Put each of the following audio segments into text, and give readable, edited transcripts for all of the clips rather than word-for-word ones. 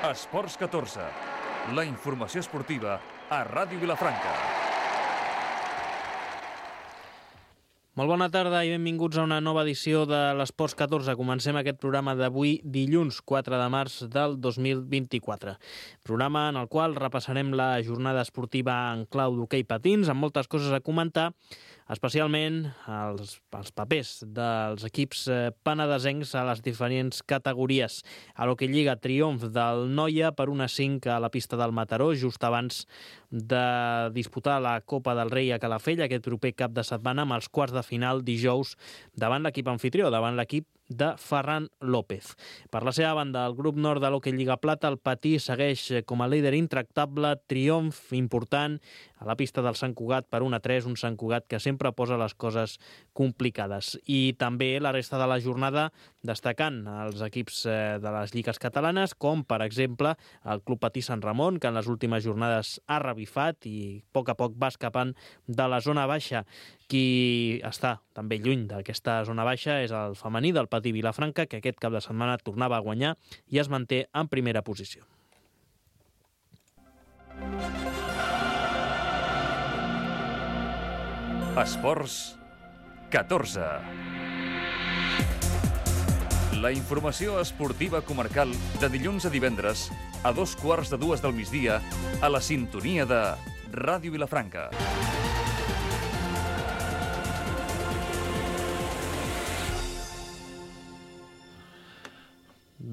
Esports 14, la informació esportiva a Ràdio Vilafranca. Molt bona tarda i benvinguts a una nova edició de l'Esports 14. Comencem aquest programa d'avui, dilluns 4 de març del 2024. Programa en el qual repassarem la jornada esportiva en clau d'hoquei patins, amb moltes coses a comentar, especialment els papers dels equips penedesencs a les diferents categories. A l'Hoquei Lliga, triomf del Noia per 1-5 a la pista del Mataró, just abans de disputar la Copa del Rei a Calafell aquest proper cap de setmana, amb els quarts de final dijous davant l'equip anfitrió, davant l'equip de Ferran López. Per la seva banda, el grup nord de l'Hoquei Lliga Plata, el Patí, segueix com a líder intractable, triomf important a la pista del Sant Cugat per 1-3, un Sant Cugat que sempre posa les coses complicades. I també la resta de la jornada destacant els equips de les lligues catalanes, com per exemple el Club Patí Sant Ramon, que en les últimes jornades ha revifat i a poc va escapant de la zona baixa. Qui està també lluny d'aquesta zona baixa és el femení del Patí Vilafranca, que aquest cap de setmana tornava a guanyar i es manté en primera posició. Esports 14. La informació esportiva comarcal de dilluns a divendres a 2:15 del migdia a la sintonia de Ràdio Vilafranca.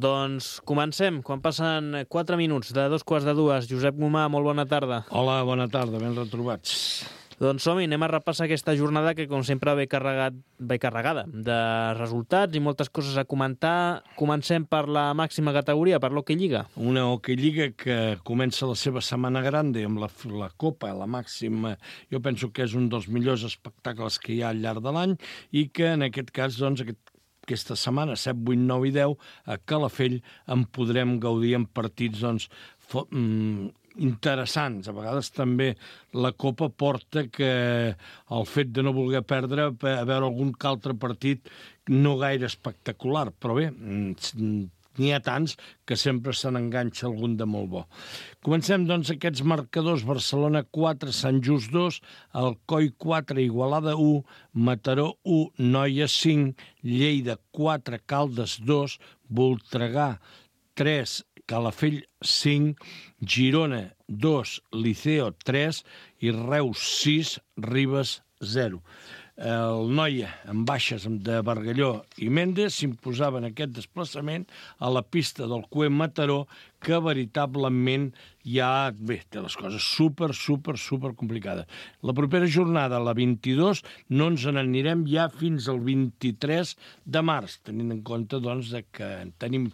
Doncs comencem. Quan passen 4 minuts de 2:15. Josep Gomà, molt bona tarda. Hola, bona tarda, ben retrobats. Doncs som-hi, anem a repassar aquesta jornada que, com sempre, ve carregada de resultats i moltes coses a comentar. Comencem per la màxima categoria, per l'Hoquei Lliga. Una Hoquei Lliga que comença la seva setmana grande amb la Copa, la màxima. Jo penso que és un dels millors espectacles que hi ha al llarg de l'any i que, en aquest cas, doncs, aquesta setmana, 7, 8, 9 i 10, a Calafell en podrem gaudir en partits interessants. A vegades també la Copa porta que el fet de no voler perdre a veure algun altre partit no gaire espectacular, però bé, n'hi ha tants que sempre se n'enganxa algun de molt bo. Comencem, doncs, aquests marcadors. Barcelona 4, Sant Just 2, Alcoi 4, Igualada 1, Mataró 1, Noia 5, Lleida 4, Caldes 2, Voltregà 3, Calafell 5, Girona 2, Liceo 3 i Reus 6, Ribes 0. El Noia, amb baixes de Bargalló i Méndez, s'imposava en aquest desplaçament a la pista del Cué Mataró, que veritablement ja té les coses super complicades. La propera jornada, la 22, no ens n'anirem ja fins al 23 de març, tenint en compte doncs, que tenim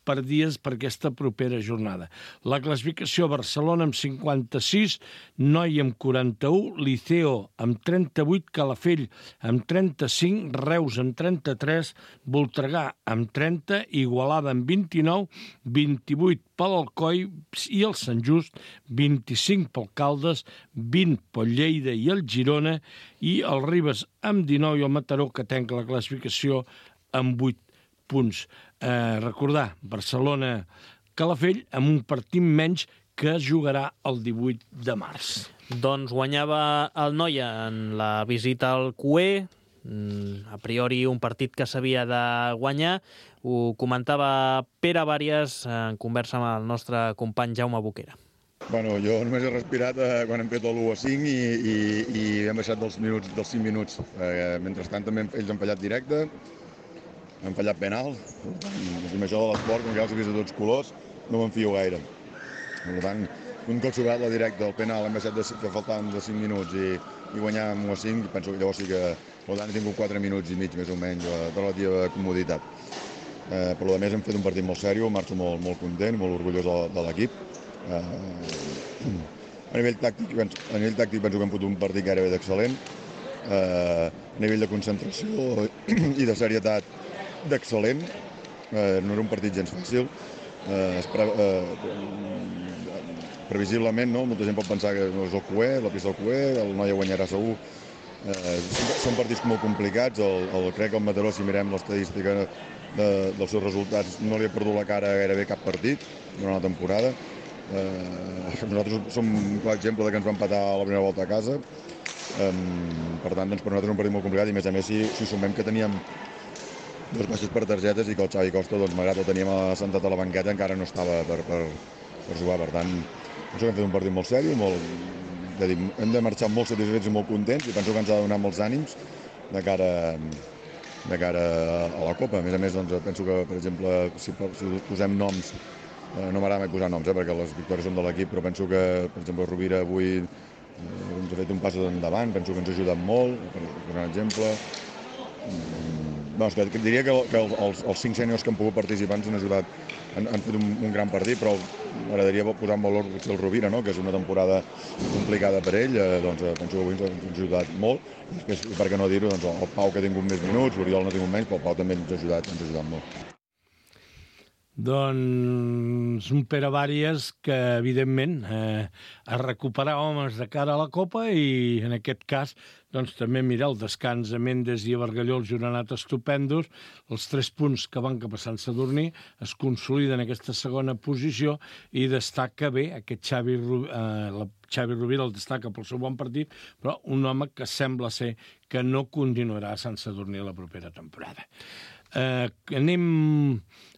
per dies per aquesta propera jornada. La classificació: Barcelona amb 56, Noia amb 41, Liceo amb 38, Calafell amb 35, Reus amb 33, Voltregà amb 30, Igualada amb 29, 28 per l'Alcoi i el Sant Just, 25 pel Caldes, 20 pel Lleida i el Girona i el Ribes amb 19 i el Mataró, que tanca la classificació amb 8 punts. Recordar, Barcelona-Calafell amb un partit menys que es jugarà el 18 de març. Doncs guanyava el Noia en la visita al Cué, a priori un partit que s'havia de guanyar. Ho comentava Pere Vàries en conversa amb el nostre company Jaume Boquera. Bueno, jo només he respirat quan hem fet l'1-5 i hem baixat dels 5 minuts. Mentrestant també ells han fallat directe, han fallat penal. Amb això de l'esport, com que ja els he vist de tots colors, no me'n fio gaire. Per tant, un cop sobrat la directa, el penal, hem baixat que faltaven de 5 minuts i guanyar amb 1-5, penso que llavors sí que he tingut 4 minuts i mig, més o menys, de relativa comoditat. Per lo més hem fet un partit molt sèrio, marxo molt content, molt orgullós de l'equip. A nivell tàctic penso que hem fotut un partit gairebé d'excel·lent. A nivell de concentració i de serietat, d'excel·lent. No era un partit gens fàcil. Previsiblement, no? Molta gent pot pensar que no és el Cué, la pista del Cué, el Noia guanyarà segur. Són partits molt complicats. Crec que el Mataró, si mirem l'estadística dels seus resultats, no li ha perdut la cara gairebé cap partit durant la temporada. Nosaltres som un clar exemple de que ens va empatar a la primera volta a casa. Per tant, per nosaltres és un partit molt complicat, i a més si sumem que teníem dos baixes per targetes i que el Xavi Costa, malgrat que el teníem assentat a la banqueta, encara no estava per jugar. Per tant, penso que hem fet un partit molt sèrio, hem de marxar molt satisfets i molt contents, i penso que ens ha de donar molts ànims de cara a la Copa. A més, penso que, per exemple, si posem noms, no m'agrada mai posar noms, perquè les victòries són de l'equip, però penso que, per exemple, Rovira avui ens ha fet un pas endavant, penso que ens ha ajudat molt, per un exemple. Diria que els 5 sèniors que han pogut participar ens han ajudat, han fet un gran partit, però m'agradaria posar en valor potser el Rovira, que és una temporada complicada per ell. Penso que avui ens ha ajudat molt. Després, per què no dir-ho, el Pau, que ha tingut més minuts, l'Oriol no ha tingut menys, però el Pau també ens ha ajudat molt. Doncs un Pere Bàries que, evidentment, a recuperar homes de cara a la Copa, i en aquest cas també mirar el descans a Mendes i a Bargalló, els han anat estupendos. Els 3 punts que van cap a Sant Sadurní es consoliden en aquesta segona posició, i destaca bé aquest Xavi Rovira, el destaca pel seu bon partit, però un home que sembla ser que no continuarà a Sant Sadurní la propera temporada. Anem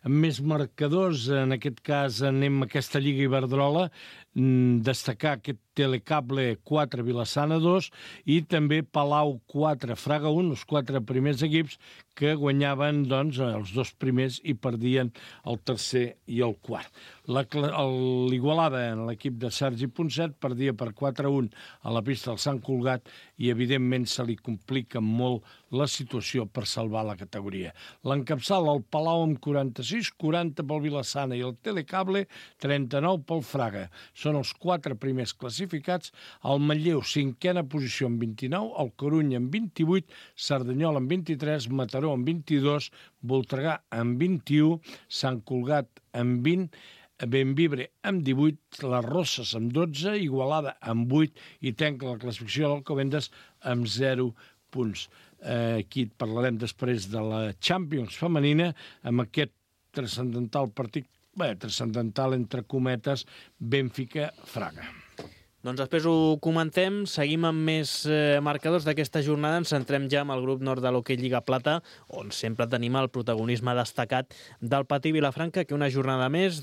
amb més marcadors. En aquest cas anem a aquesta Lliga Iberdrola, destacar aquest Telecable 4, Vilassana 2, i també Palau 4, Fraga 1, els 4 primers equips que guanyaven els 2 primers i perdien el tercer i el quart. L'Igualada, en l'equip de Sergi Ponset, perdia per 4-1 a la pista del Sant Cugat, i evidentment se li complica molt la situació per salvar la categoria. L'encapçala el Palau amb 46, 40 pel Vilassana, i el Telecable 39 pel Fraga. Són els 4 primers classificats. El Manlleu, 5a posició amb 29, el Corunya amb 28, Cerdanyola amb 23, Mataró amb 22, Voltregà amb 21, Sant Cugat amb 20, Bembibre amb 18, les Rosses amb 12, Igualada amb 8, i tanca la classificació l'Alcobendas amb 0 punts. Aquí parlarem després de la Champions femenina, amb aquest transcendental partit, transcendental entre cometes, Benfica-Fraga. Doncs després ho comentem, seguim amb més marcadors d'aquesta jornada, ens centrem ja amb el grup nord de l'Hoquei Lliga Plata, on sempre tenim el protagonisme destacat del Patí Vilafranca, que una jornada més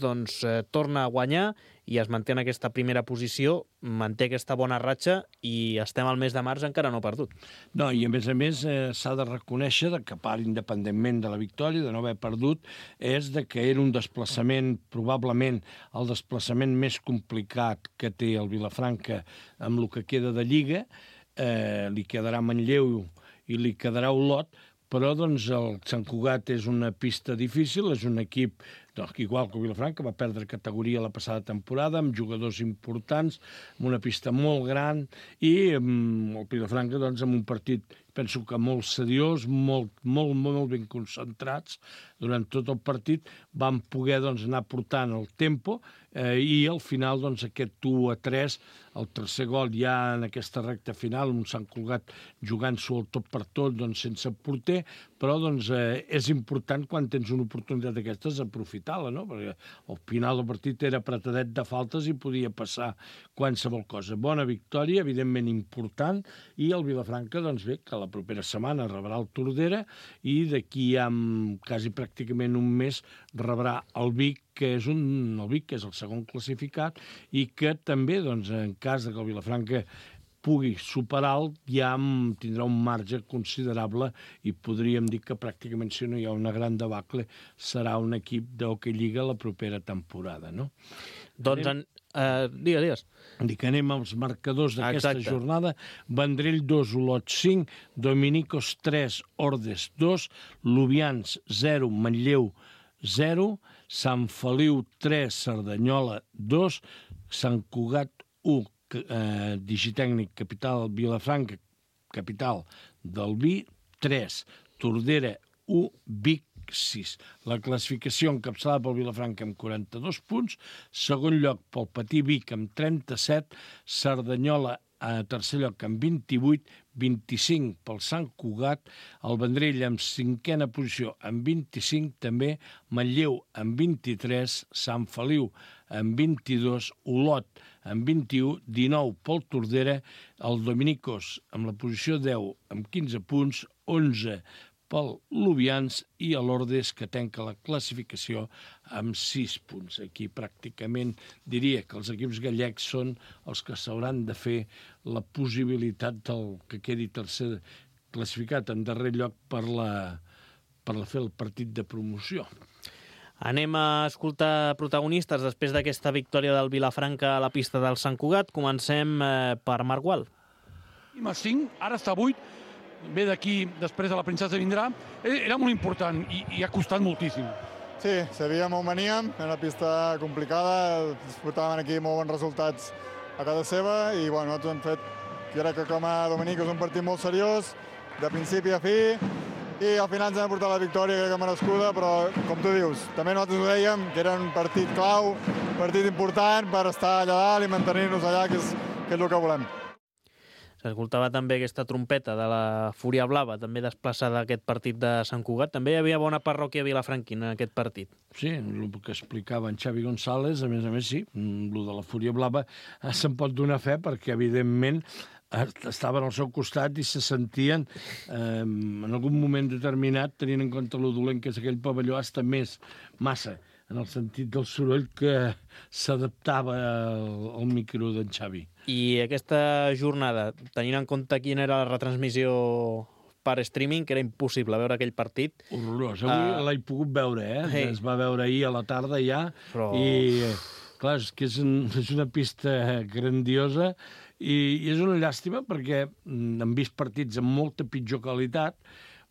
torna a guanyar i es manté en aquesta primera posició, manté aquesta bona ratxa, i estem al mes de març encara no perdut. No, i a més s'ha de reconèixer que, a part, independentment de la victòria, de no haver perdut, és que era un desplaçament, probablement el desplaçament més complicat que té el Vilafranca amb el que queda de Lliga. Li quedarà Manlleu i li quedarà Olot, però el Sant Cugat és una pista difícil, és un equip igual que el Vilafranca, va perdre categoria la passada temporada, amb jugadors importants, amb una pista molt gran, i el Vilafranca amb un partit, penso que molt seriós, molt ben concentrats durant tot el partit, van poder anar portant el tempo, i al final aquest 1-3, el tercer gol ja en aquesta recta final, un Sant Cugat jugant-s'ho el tot per tot, sense porter, però és important, quan tens una oportunitat d'aquestes, aprofitar-la, no? Perquè al final del partit era apretadet de faltes i podia passar qualsevol cosa. Bona victòria, evidentment important, i el Vilafranca, bé, que la propera setmana rebrà el Tordera, i d'aquí a quasi pràcticament un mes rebrà el Vic, que és el segon classificat, i que també, en cas que el Vilafranca pugui superar-lo, ja tindrà un marge considerable, i podríem dir que pràcticament, si no hi ha una gran debacle, serà un equip d'Hoquei Lliga la propera temporada, no? Digues. Dic que anem als marcadors d'aquesta jornada. Vendrell 2, Olot 5, Dominicos 3, Ordes 2, Lubians 0, Manlleu 0, Sant Feliu 3, Cerdanyola 2, Sant Cugat 1, Digitècnic Capital Vilafranca, capital del Vi 3, Tordera 1, Vic 6. La classificació encapçalada pel Vilafranca amb 42 punts, segon lloc pel Patí Vic amb 37, Cerdanyola a tercer lloc amb 28, 25 pel Sant Cugat, el Vendrell amb 5a posició amb 25 també, Manlleu amb 23, Sant Feliu amb 22, Olot amb 21, 19 pel Tordera, el Dominicos amb la posició 10 amb 15 punts, 11 pel Lubians i a l'Ordes, que tanca la classificació amb 6 punts. Aquí pràcticament diria que els equips gallecs són els que s'hauran de fer la possibilitat del que quedi tercer classificat en darrer lloc per fer el partit de promoció. Anem a escoltar protagonistes després d'aquesta victòria del Vilafranca a la pista del Sant Cugat. Comencem per Marc Gual. A 5, ara està a 8, ve d'aquí, després de la Princesa vindrà. Era molt important i ha costat moltíssim. Sí, sabíem on veníem, era una pista complicada, disputàvem aquí molt bons resultats a casa seva i bueno, nosaltres hem fet, jo crec que com a Dominic és un partit molt seriós, de principi a fi, i al final ens hem portat la victòria, crec que merescuda, però com tu dius, també nosaltres ho dèiem, que era un partit clau, un partit important per estar allà dalt i mantenir-nos allà, que és el que volem. S'escoltava també aquesta trompeta de la Fúria Blava, també desplaçada a aquest partit de Sant Cugat. També hi havia bona parròquia vilafranquina en aquest partit. Sí, el que explicava en Xavi González, a més, sí, el de la Fúria Blava se'n pot donar fe perquè, evidentment, estaven al seu costat i se sentien, en algun moment determinat, tenint en compte lo dolent que és aquell pavelló, hasta massa, en el sentit del soroll que s'adaptava al micro d'en Xavi. I aquesta jornada, tenint en compte quina era la retransmissió per streaming, que era impossible veure aquell partit. Horrorós. Avui l'he pogut veure, Hey. Es va veure ahir a la tarda ja. Però... I, clar, és que és una pista grandiosa i és una llàstima perquè hem vist partits amb molta pitjor qualitat,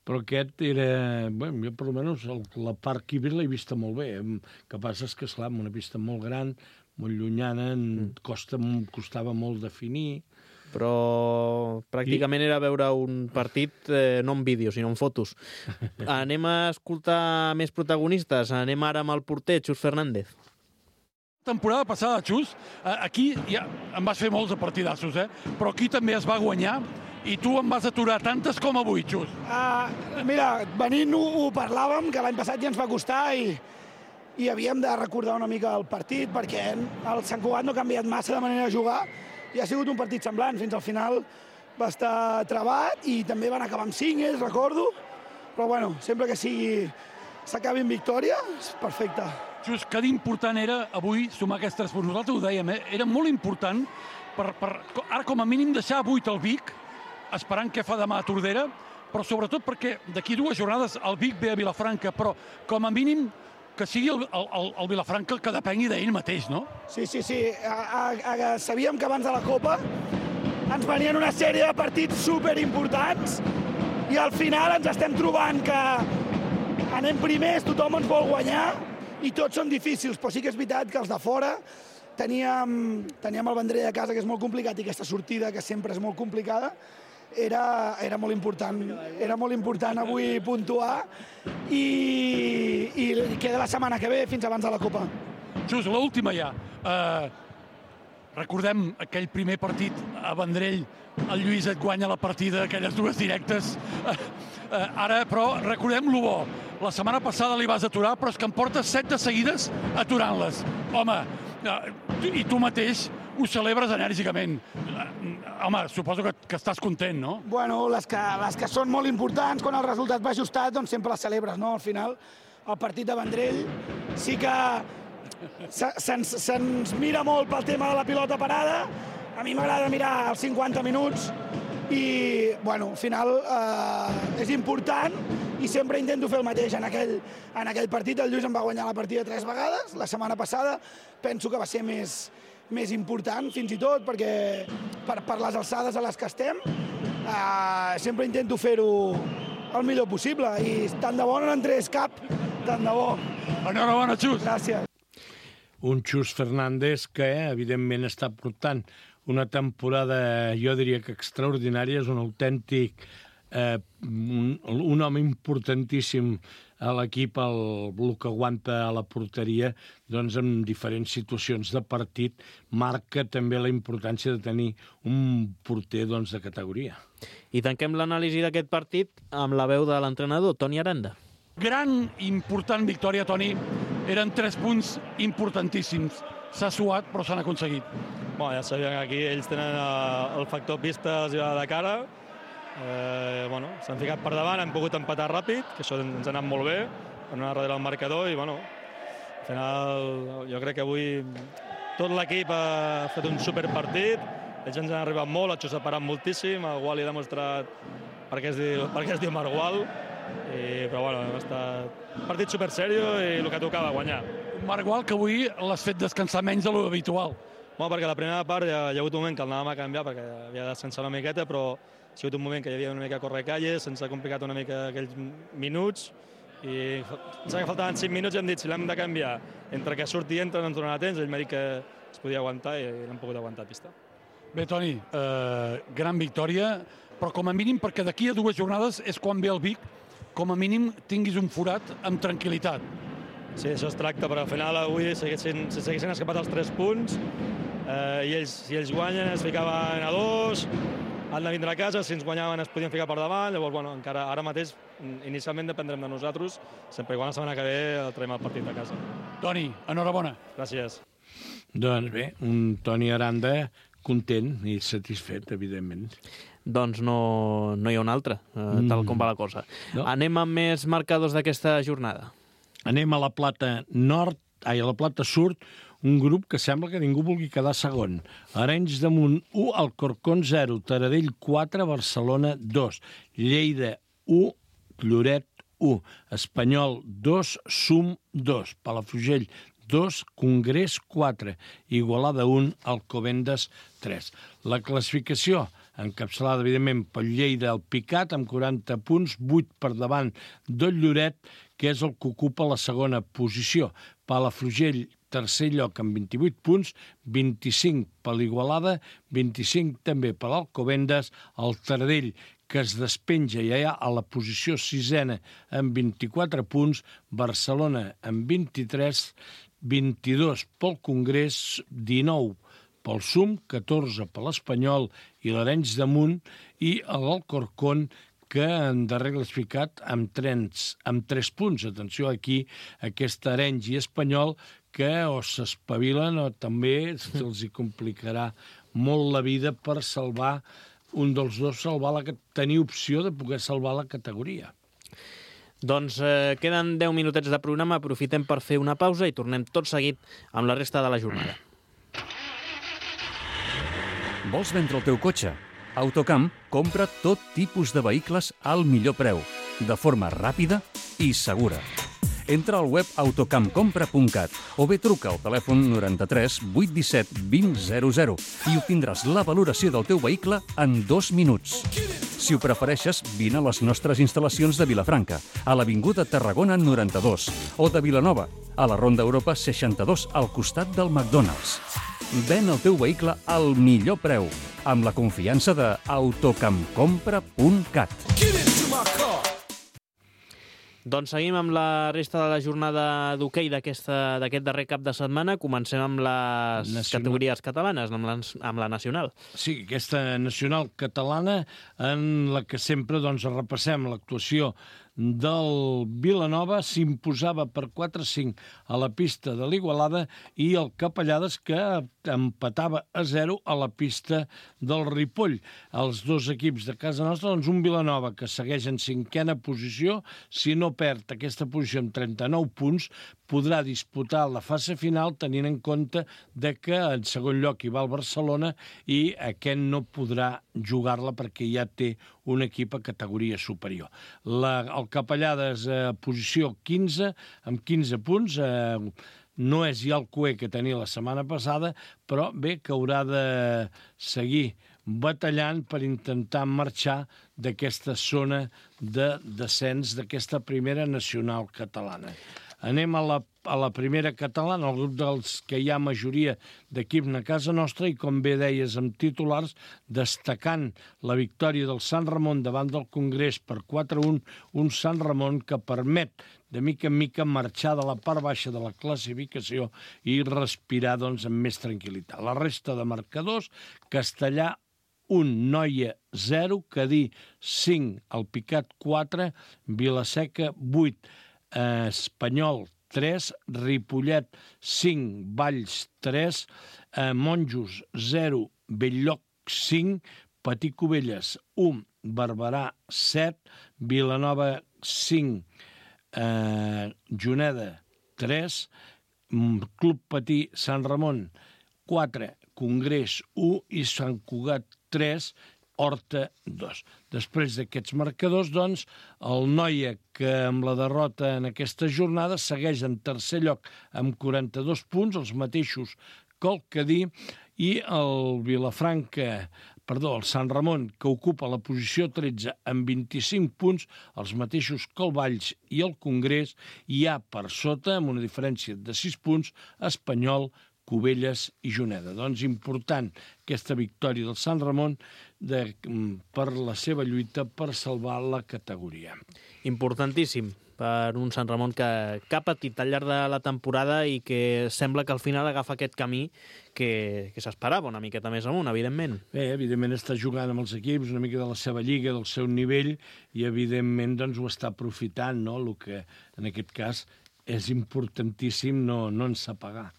però aquest era... Bueno, jo, per almenys, la part Quibir l'he vista molt bé. El que passa és que, esclar, una pista molt gran, molt llunyana, costava molt definir. Però pràcticament era veure un partit no en vídeo, sinó en fotos. Anem a escoltar més protagonistes. Anem ara amb el porter, Xus Fernández. Temporada passada, Xus, aquí ja em vas fer molts de partidassos, però aquí també es va guanyar i tu em vas aturar tantes com avui, Xus. Mira, venint ho parlàvem, que l'any passat ja ens va costar i havíem de recordar una mica el partit perquè el Sant Cugat no ha canviat massa de manera de jugar i ha sigut un partit semblant. Fins al final va estar travat i també van acabar amb 5, recordo. Però bueno, sempre que s'acabi en victòria, és perfecte. Xus, que d'important era avui sumar aquests 3 punts. Nosaltres ho dèiem, era molt important per ara com a mínim deixar a 8 el Vic, esperant què fa demà a Tordera, però sobretot perquè d'aquí 2 jornades el Vic ve a Vilafranca, però com a mínim que sigui el Vilafranca el que depengui d'ell mateix, no? Sí. Sabíem que abans de la Copa ens venien una sèrie de partits superimportants i al final ens estem trobant que anem primers, tothom ens vol guanyar i tots són difícils, però sí que és veritat que els de fora teníem el Vendrell a casa, que és molt complicat, i aquesta sortida, que sempre és molt complicada, era molt important. Era molt important avui puntuar i queda la setmana que ve fins abans de la Copa. Xus, l'última ja. Recordem aquell primer partit a Vendrell, el Lluís et guanya la partida, aquelles 2 directes. Ara, però, recordem lo bo. La setmana passada li vas aturar, però és que em portes 7 de seguides aturant-les. Home, i tu mateix ho celebres enèrgicament. Home, suposo que estàs content, no? Bueno, les que són molt importants, quan el resultat va ajustat, doncs sempre les celebres, no? Al final, el partit de Vendrell sí que se'ns mira molt pel tema de la pilota parada. A mi m'agrada mirar els 50 minuts i, bueno, al final és important i sempre intento fer el mateix. En aquell partit el Lluís em va guanyar la partida 3 vegades. La setmana passada penso que va ser més important, fins i tot, perquè per les alçades a les que estem sempre intento fer-ho el millor possible i tant de bo no n'entrés cap, tant de bo. Enhorabona, Xus. Gràcies. Un Xus Fernández que, evidentment, està portant una temporada, jo diria que extraordinària, és un autèntic un home importantíssim a l'equip, el que aguanta a la porteria, doncs en diferents situacions de partit, marca també la importància de tenir un porter doncs, de categoria. I tanquem l'anàlisi d'aquest partit amb la veu de l'entrenador, Toni Aranda. Gran i important victòria, Toni. Eren 3 punts importantíssims. S'ha suat, però s'han aconseguit. Bueno, ja sabien que aquí ells tenen el factor pista, els va de cara. S'han ficat per davant, han pogut empatar ràpid, que això ens ha anat molt bé, per anar darrere el marcador, i al final jo crec que avui tot l'equip ha fet un superpartit, ells ens han arribat molt, el Xus ha parat moltíssim, el Wally ha demostrat per què es diu Margual, però ha estat un partit supersèrio i el que tocava, guanyar. Un Margual que avui l'has fet descansar menys de l'habitual. Perquè a la primera part hi ha hagut un moment que el anàvem a canviar perquè havia de descansar una miqueta, però ha sigut un moment que hi havia una mica a corre-calle, se'ns ha complicat una mica aquells minuts i ens ha faltaven 5 minuts i hem dit si l'hem de canviar entre que surt i entra no ens donarà temps, ell m'ha dit que es podia aguantar i l'hem pogut aguantar a pista. Bé, Toni, gran victòria, però com a mínim perquè d'aquí a 2 jornades és quan ve el Vic, com a mínim tinguis un forat amb tranquil·litat. Sí, això es tracta, però al final avui s'haguessin escapat els 3 punts i si ells guanyen es ficaven a 2, han de vindre a casa, si ens guanyaven es podien ficar per davant, llavors encara ara mateix inicialment dependrem de nosaltres, sempre i quan la setmana que ve traiem el partit de casa. Toni, enhorabona. Gràcies. Doncs bé, un Toni Aranda content i satisfet, evidentment. Doncs no hi ha un altre, tal com va la cosa. No. Anem amb més marcadors d'aquesta jornada. Anem a la Plata Nord, a la Plata Sud, un grup que sembla que ningú vulgui quedar segon. Arenys de Munt 1, Alcorcón 0, Taradell 4, Barcelona 2, Lleida 1, Lloret 1, Espanyol 2, Sum 2, Palafrugell 2, Congrés 4, Igualada 1, Alcobendas 3. La classificació encapçalada, evidentment, pel Lleida al Picat, amb 40 punts, 8 per davant del Lloret, que és el que ocupa la segona posició. Palafrugell, tercer lloc, amb 28 punts, 25 per l'Igualada, 25 també per l'Alcobendas, el Taradell, que es despenja ja a la posició sisena amb 24 punts, Barcelona amb 23, 22 pel Congrés, 19 pel Sum, 14 per l'Espanyol i l'Arenys de Munt, i l'Alcorcón, que en darrer classificat amb 3 punts. Atenció aquí, aquest Arenys i Espanyol, que o s'espavilen o també se'ls hi complicarà molt la vida per salvar un dels dos, tenir opció de poder salvar la categoria. Doncs queden 10 minutets de programa, aprofitem per fer una pausa i tornem tot seguit amb la resta de la jornada. Vols vendre el teu cotxe? Autocamp compra tot tipus de vehicles al millor preu, de forma ràpida i segura. Entra al web autocampcompra.cat o bé truca al telèfon 93 817 2000 i obtindràs la valoració del teu vehicle en 2 minuts. Si ho prefereixes, vine a les nostres instal·lacions de Vilafranca, a l'Avinguda Tarragona 92, o de Vilanova, a la Ronda Europa 62, al costat del McDonald's. Ven el teu vehicle al millor preu, amb la confiança de autocampcompra.cat. Doncs seguim amb la resta de la jornada d'hoquei d'aquest darrer cap de setmana. Comencem amb les categories catalanes, amb la nacional. Sí, aquesta nacional catalana en la que sempre repassem l'actuació del Vilanova, s'imposava per 4-5 a la pista de l'Igualada i el Capellades, que empatava a 0 a la pista del Ripoll. Els dos equips de casa nostra, doncs un Vilanova que segueix en 5a posició, si no perd aquesta posició amb 39 punts, podrà disputar la fase final tenint en compte que en segon lloc hi va el Barcelona i aquest no podrà jugar-la perquè ja té un equip a categoria superior. El Capellades a posició 15, amb 15 punts, no és ja el cué que tenia la setmana passada, però bé que haurà de seguir batallant per intentar marxar d'aquesta zona de descens d'aquesta primera nacional catalana. Anem a la primera catalana, el grup dels que hi ha majoria d'equips a casa nostra, i com bé deies amb titulars, destacant la victòria del Sant Ramon davant del Congrés per 4-1, un Sant Ramon que permet de mica en mica marxar de la part baixa de la classificació i respirar doncs, amb més tranquil·litat. La resta de marcadors, Castellà 1, Noia 0, Cadí 5, Alpicat 4, Vilaseca 8, Espanyol 3, Ripollet 5, Valls 3, Monjos 0, Belllloc 5, Patí Cubelles 1, Barberà 7, Vilanova 5, Juneda 3, Club Patí Sant Ramon 4, Congrés 1 i Sant Cugat 3, Horta 2. Després d'aquests marcadors, doncs, el Noia, que amb la derrota en aquesta jornada segueix en tercer lloc amb 42 punts, els mateixos que el Cadí, i el Sant Ramon, que ocupa la posició 13 amb 25 punts, els mateixos que el Valls i el Congrés, i hi ha per sota, amb una diferència de 6 punts, Espanyol, Cubelles i Juneda. Doncs important aquesta victòria del Sant Ramon per la seva lluita per salvar la categoria. Importantíssim per un Sant Ramon que ha patit al llarg de la temporada i que sembla que al final agafa aquest camí que s'esperava una miqueta més amunt, evidentment. Bé, evidentment està jugant amb els equips una mica de la seva lliga, del seu nivell, i evidentment doncs, ho està aprofitant, no? El que en aquest cas és importantíssim no ensapagar.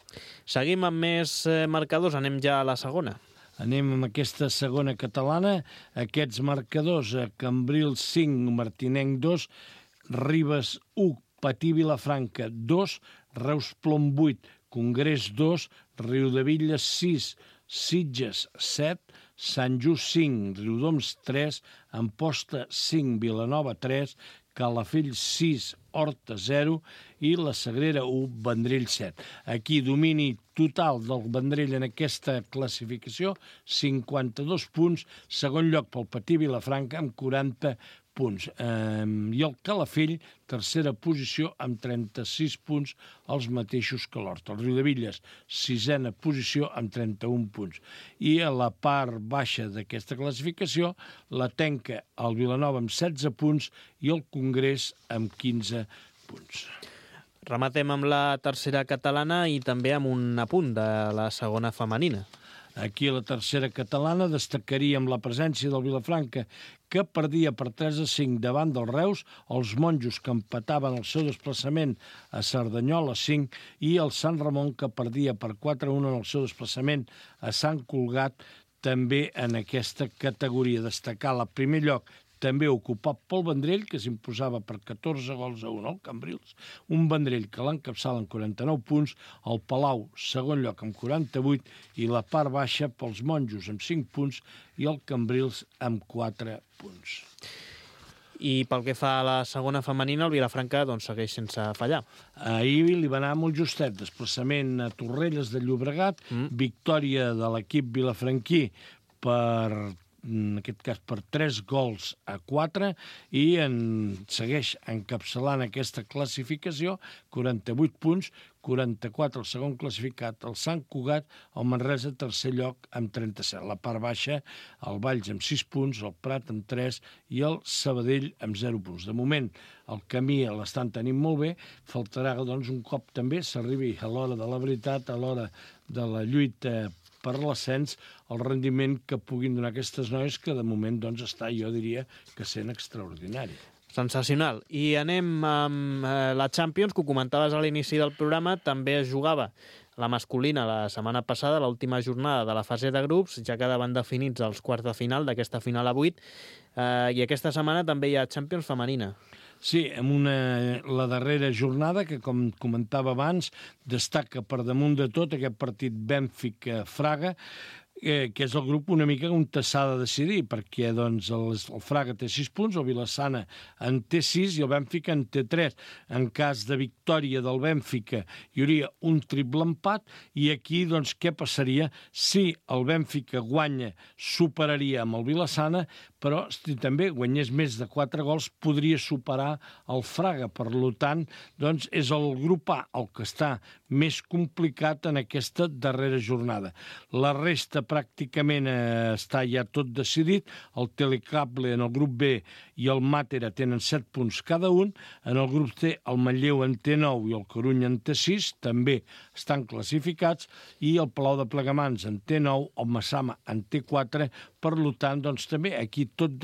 Seguim amb més marcadors, anem ja a la segona. Anem amb aquesta segona catalana. Aquests marcadors, Cambrils 5, Martinenc 2, Ribes 1, Patí Vilafranca 2, Reus Plom 8, Congrés 2, Riudebitlles 6, Sitges 7, Sant Just 5, Riudoms 3, Amposta 5, Vilanova 3, Calafell 6, Horta 0 i la Sagrera 1, Vendrell 7. Aquí domini total del Vendrell en aquesta classificació, 52 punts, segon lloc pel Patí Vilafranca amb 40 punts. I el Calafell, tercera posició, amb 36 punts, els mateixos que l'Horta. El Riudebitlles, sisena posició, amb 31 punts. I a la part baixa d'aquesta classificació, la tenca el Vilanova amb 16 punts i el Congrés amb 15 punts. Rematem amb la tercera catalana i també amb un apunt de la segona femenina. Aquí a la tercera catalana destacaríem la presència del Vilafranca, que perdia per 3-5 davant del Reus, els Monjos, que empataven el seu desplaçament a Cerdanyola 5, i el Sant Ramon, que perdia per 4-1 en el seu desplaçament a Sant Cugat, també en aquesta categoria. Destacar el primer lloc també ocupat pel Vendrell, que s'imposava per 14-1 al Cambrils, un Vendrell que l'encapçala amb 49 punts, el Palau, segon lloc amb 48, i la part baixa pels Monjos amb 5 punts i el Cambrils amb 4 punts. I pel que fa a la segona femenina, el Vilafranca doncs, segueix sense fallar. Ahir li va anar molt justet, desplaçament a Torrelles de Llobregat, victòria de l'equip vilafranquí en aquest cas per 3-4, i segueix encapçalant aquesta classificació, 48 punts, 44 el segon classificat, el Sant Cugat, el Manresa tercer lloc amb 37. La part baixa, el Valls amb 6 punts, el Prat amb 3 i el Sabadell amb 0 punts. De moment, el camí l'estan tenint molt bé, faltarà doncs, un cop també s'arribi a l'hora de la veritat, a l'hora de la lluita per l'ascens, el rendiment que puguin donar aquestes noies, que de moment doncs, està, jo diria, que sent extraordinari. Sensacional. I anem amb la Champions, que ho comentaves a l'inici del programa, també es jugava la masculina la setmana passada, l'última jornada de la fase de grups, ja quedaven definits els quarts de final d'aquesta final a 8, i aquesta setmana també hi ha Champions femenina. Sí, amb la darrera jornada, que com comentava abans, destaca per damunt de tot aquest partit Bènfica-Fraga, que és el grup una mica on s'ha de decidir, perquè doncs, el Fraga té 6 punts, el Vilassana en té 6 i el Bènfica en té 3. En cas de victòria del Bènfica hi hauria un triple empat i aquí doncs, què passaria? Si el Bènfica guanya, superaria amb el Vilassana, però si també guanyés més de 4 gols podria superar el Fraga. Per tant, doncs, és el grup A el que està més complicat en aquesta darrera jornada. La resta pràcticament està ja tot decidit. El Telecable en el grup B i el Màtera tenen 7 punts cada un. En el grup C el Manlleu en té 9 i el Corunya en té 6. També estan classificats. I el Palau de Plegamans en té 9, el Massama en té 4. Per tant, doncs, també aquí tot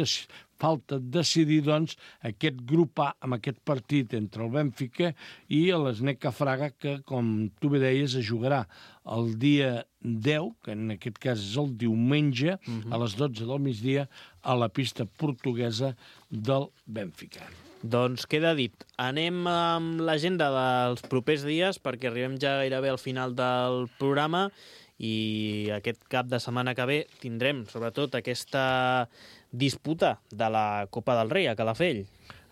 falta decidir doncs, aquest grup A amb aquest partit entre el Bènfica i l'Sneca Fraga, que, com tu bé deies, es jugarà el dia 10, que en aquest cas és el diumenge, a les 12 del migdia, a la pista portuguesa del Bènfica. Doncs queda dit. Anem amb l'agenda dels propers dies, perquè arribem ja gairebé al final del programa i aquest cap de setmana que ve tindrem, sobretot, aquesta disputa de la Copa del Rei a Calafell.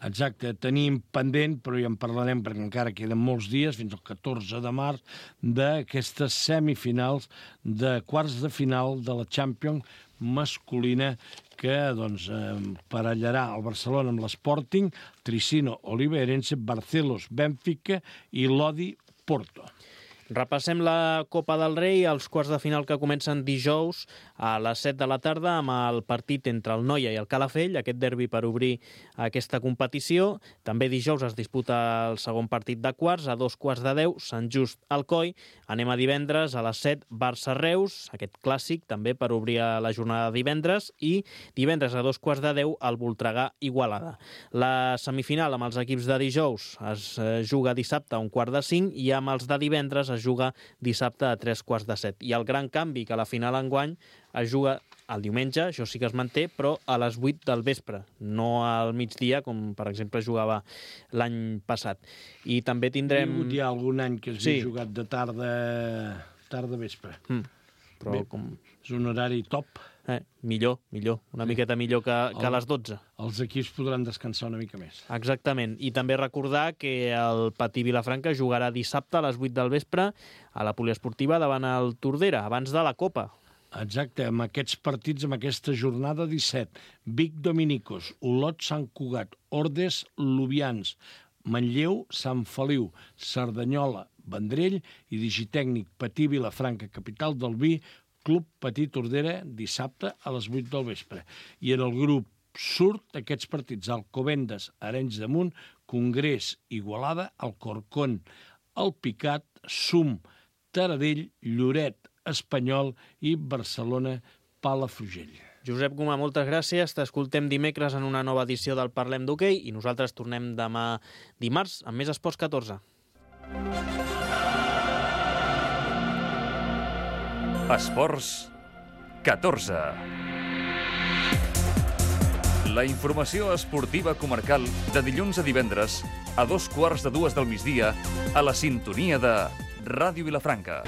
Exacte, tenim pendent, però ja en parlarem perquè encara queden molts dies, fins al 14 de març, d'aquestes semifinals de quarts de final de la Champions masculina que doncs, parellarà el Barcelona amb l'Sporting, Tricino, Oliveirense, Barcelos, Bènfica i Lodi, Porto. Repassem la Copa del Rei, els quarts de final que comencen dijous a les 7 de la tarda amb el partit entre el Noia i el Calafell, aquest derbi per obrir aquesta competició. També dijous es disputa el segon partit de quarts, a 2:15, Sant Just Alcoi. Anem a divendres a les 7, Barça-Reus, aquest clàssic també per obrir la jornada de divendres, i divendres a 2:10 el Voltregà-Igualada. La semifinal amb els equips de dijous es juga dissabte a 1:45 i amb els de divendres es juga dissabte a 3:15. I el gran canvi, que la final enguany es juga el diumenge, això sí que es manté, però a les 8 del vespre, no al migdia, com per exemple jugava l'any passat. I també tindrem... Hi ha algun any que s'ha jugat de tarda-vespre. Però bé, és un horari top. Millor, una miqueta millor que a les 12. Els equips podran descansar una mica més. Exactament, i també recordar que el Patí Vilafranca jugarà dissabte a les 8 del vespre a la poliesportiva davant el Tordera, abans de la Copa. Exacte, amb aquests partits, amb aquesta jornada 17, Vic Dominicos, Olot Sant Cugat, Ordes Lubians, Manlleu Sant Feliu, Cerdanyola Vendrell i Digitècnic Patí Vilafranca, capital del vi, Club Patí Tordera, dissabte a les 8 del vespre. I en el grup surt aquests partits: Alcobendas, Arenys de Munt, Congrés, Igualada, Alcorcón, El Picat, Sum, Taradell, Lloret, Espanyol i Barcelona, Palafrugell. Josep Gomà, moltes gràcies. T'escoltem dimecres en una nova edició del Parlem d'Hoquei i nosaltres tornem demà dimarts amb més Esports 14. Esports 14. La informació esportiva comarcal de dilluns a divendres a 2:15 del migdia a la sintonia de Ràdio Vilafranca.